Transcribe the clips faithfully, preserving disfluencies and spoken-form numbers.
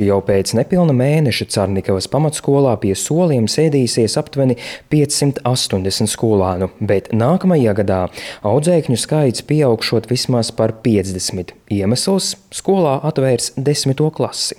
Jau pēc nepilna mēneša Carnikavas pamatskolā pie soliem sēdīsies aptuveni piecsimt astoņdesmit skolānu, bet nākamajā gadā audzēkņu skaits pieaugšot vismaz par piecdesmit. Iemesls – skolā atvērs desmito klasi.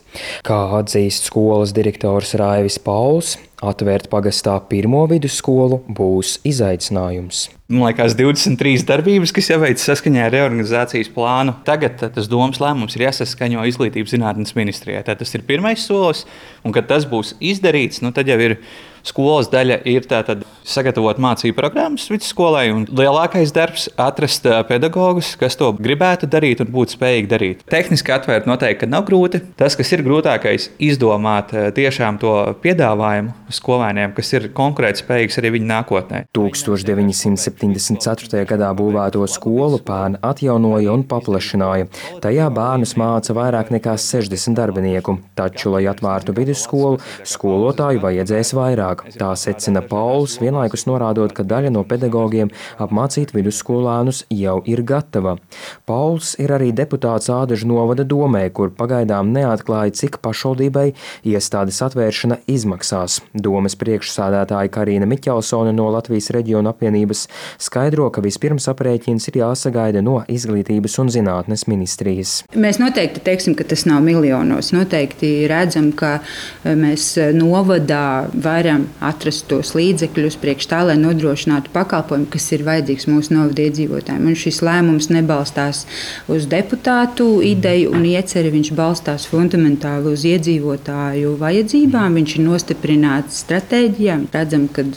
Kā atzīst skolas direktors Raivis Pauls, atvērt pagastā pirmo vidusskolu būs izaicinājums. Man liekas, divdesmit trīs darbības, kas jāveic saskaņā ar reorganizācijas plānu. Tagad tas domas lēmums ir jāsaskaņo Izglītības zinātnes ministrijai. Tad tas ir pirmais solis, un kad tas būs izdarīts, nu tad jau ir skolas daļa ir tātad sagatavot mācību programmas vidusskolai, un lielākais darbs atrast pedagogus, kas to gribētu darīt un būtu spējīgi darīt. Tehniski atvērt noteikti, ka nav grūti. Tas, kas ir grūtākais, izdomāt tiešām to piedāvājumu skolēniem, kas ir konkurētspējīgs arī viņu nākotnē. tūkstoš deviņi simti septiņdesmit ceturtajā gadā būvēto skolu pērn atjaunoja un paplašināja. Tajā bērnus māca vairāk nekā sešdesmit darbinieku, taču, lai atvērtu vidusskolu, skolotāju vajadzēs vairāk. Tā secina Pauls, vienlaikus norādot, ka daļa no pedagogiem apmācīt vidusskolānus jau ir gatava. Pauls ir arī deputāts Ādažu novada domē, kur pagaidām neatklāja, cik pašvaldībai iestādes atvēršana izmaksās. Domes priekšsēdētāja Karīna Miķelsone no Latvijas reģiona apvienības skaidro, ka vispirms aprēķins ir jāsagaida no Izglītības un zinātnes ministrijas. Mēs noteikti teiksim, ka tas nav miljonos. Noteikti redzam, ka mēs novadā varam atrast tos līdzekļus priekš tā, lai nodrošinātu pakalpojumu, kas ir vajadzīgs mūsu novada iedzīvotājiem. Un šis lēmums nebalstās uz deputātu ideju un ieceri, viņš balstās fundamentāli uz iedzīvotāju vajadzībām, viņš ir nostiprināts stratēģijā. Redzam, ka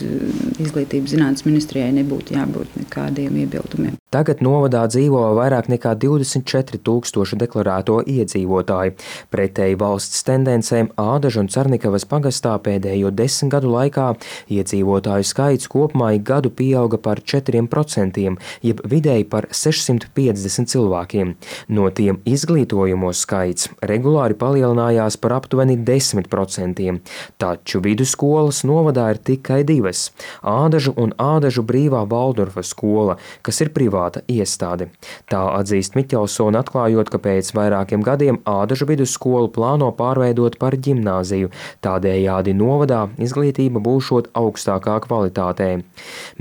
Izglītības zinātnes ministrijai nebūtu jābūt nekādiem iebildumiem. Tagad novadā dzīvo vairāk nekā divdesmit četri tūkstoši deklarēto iedzīvotāju. Pretēji valsts tendencēm Ādažu un Carnikavas pagastā pēdējo desmit gadu laikā iedzīvotāju skaits kopumā ik gadu pieauga par četriem procentiem, jeb vidēji par sešsimt piecdesmit cilvēkiem. No tiem izglītojumos skaits regulāri palielinājās par aptuveni desmit procentiem, taču vidusskolas novadā ir tikai divas – Ādažu un Ādažu brīvā Valdorfa skola, kas ir privāta iestāde. Tā atzīst Miķelsone, atklājot, ka pēc vairākiem gadiem Ādažu vidusskolu plāno pārveidot par ģimnāziju, tādējādi novadā izglītība būšot augstākā kvalitātē.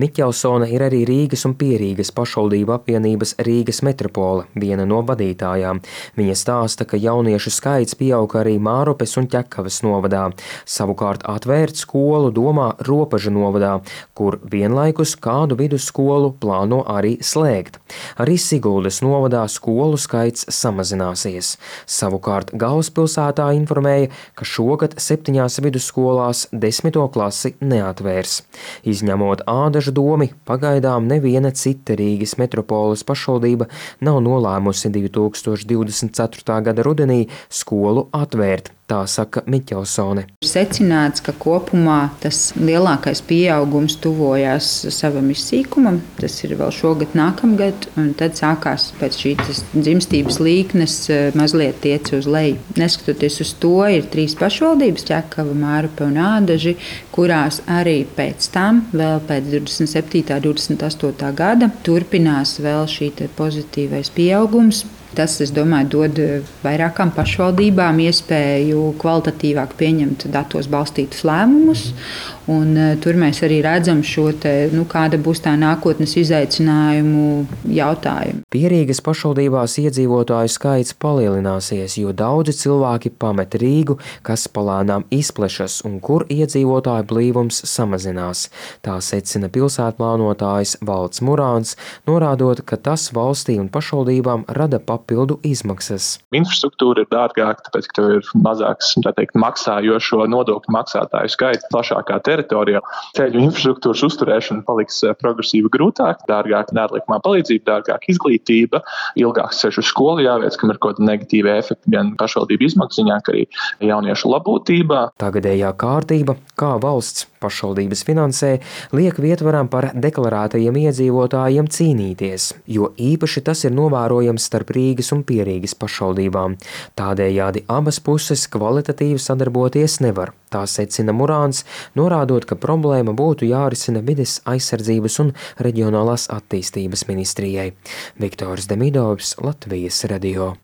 Miķelsone ir arī Rīgas un Pierīgas pašvaldību apvienības Rīgas metropole, viena no vadītājām. Viņa stāsta, ka jauniešu skaits pieauga arī Mārupes un Ķekavas novadā. Savukārt atvērt skolu domā Ropaža novadā, kur vienlaikus kādu vidusskolu plāno arī slēgt. Arī Siguldas novadā skolu skaits samazināsies. Savukārt galvaspilsētā informēja, ka šogad septiņās vidusskolās desmito klasi neatvērs. Izņemot Ādažu domi, pagaidām neviena cita Rīgas metropoles pašvaldība nav nolēmusi divi tūkstoši divdesmit ceturtā gada rudenī skolu atvērt. Tā saka Miķelsone. Ir secināts, ka kopumā tas lielākais pieaugums tuvojās savam izsīkumam. Tas ir vēl šogad nākamgad, un tad sākās pēc šīs dzimstības līknes mazliet iet uz leju. Neskatoties uz to, ir trīs pašvaldības, Ķekava, Mārupe un Ādaži, kurās arī pēc tam, vēl pēc divdesmit septītā, divdesmit astotā gada, turpinās vēl šī pozitīvais pieaugums. Tas, es domāju, dod vairākām pašvaldībām iespēju kvalitatīvāk pieņemt datos balstītus lēmumus. Un, tur mēs arī redzam šo te, nu, kāda būs tā nākotnes izaicinājumu jautājumu. Pierīgas pašvaldībās iedzīvotāju skaits palielināsies, jo daudzi cilvēki pamet Rīgu, kas palēnām izplešas un kur iedzīvotāju blīvums samazinās. Tā secina pilsētplānotājs Valds Murāns, norādot, ka tas valstī un pašvaldībām rada papildu izmaksas. Infrastruktūra ir dārgāka, tāpēc, ka tev ir mazāks, tā teikt, maksājošo nodokļu maksātāju skaits plašākā teritorijā. Ceļu infrastruktūras uzturēšana paliks progresīvi grūtāk, dārgāk nērlikumā palīdzība, dārgāk izglītība, ilgāks ceļš uz skolu jāveic, kam ir kaut kāda negatīva efekta gan pašvaldību izmaksziņā, gan arī jauniešu labūtībā. Tagadējā kārtība, kā valsts pašvaldības finansē, liek vietvaram par deklarētajiem iedzīvotājiem cīnīties, jo īpaši tas ir novērojams starp Rīgas un Pierīgas pašvaldībām. Tādējādi abas puses kvalitatīvi sadarboties nevar. Tā secina Murāns, norādot, ka problēma būtu jārisina vides aizsardzības un reģionālās attīstības ministrijai. Viktors Demidovs, Latvijas radio.